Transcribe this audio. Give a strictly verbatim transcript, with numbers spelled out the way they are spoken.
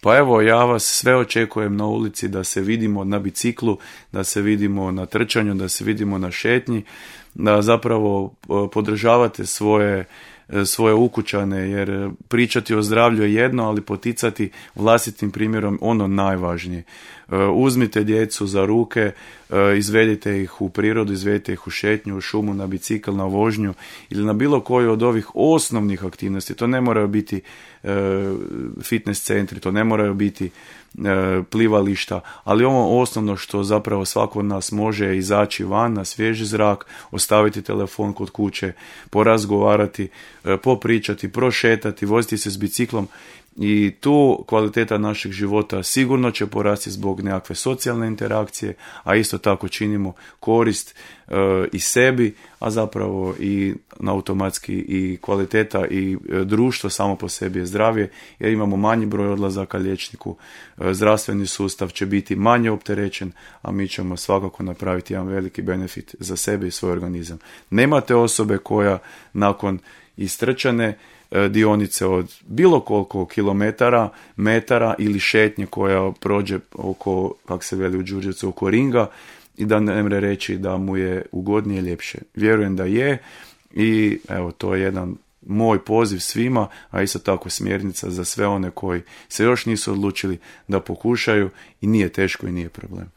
Pa evo, ja vas sve očekujem na ulici, da se vidimo na biciklu, da se vidimo na trčanju, da se vidimo na šetnji, da zapravo podržavate svoje svoje ukućane, jer pričati o zdravlju je jedno, ali poticati vlastitim primjerom ono najvažnije. Uzmite djecu za ruke, izvedite ih u prirodu, izvedite ih u šetnju, u šumu, na bicikl, na vožnju ili na bilo koju od ovih osnovnih aktivnosti. To ne moraju biti fitness centri, to ne moraju biti plivališta, ali ovo osnovno što zapravo svako od nas može izaći van na svježi zrak, ostaviti telefon kod kuće, porazgovarati, popričati, prošetati, voziti se s biciklom i tu kvaliteta našeg života sigurno će porasti zbog nekakve socijalne interakcije, a isto tako činimo korist e, i sebi, a zapravo i automatski i kvaliteta i e, društvo samo po sebi je zdravije, jer imamo manji broj odlazaka liječniku, e, zdravstveni sustav će biti manje opterećen, a mi ćemo svakako napraviti jedan veliki benefit za sebe i svoj organizam. Nemate osobe koja nakon istrčane dionice od bilo koliko kilometara, metara ili šetnje koja prođe oko, kak se veli u Đurđevcu, oko ringa i da ne mre reći da mu je ugodnije, ljepše. Vjerujem da je i evo, to je jedan moj poziv svima, a isto tako smjernica za sve one koji se još nisu odlučili da pokušaju i nije teško i nije problem.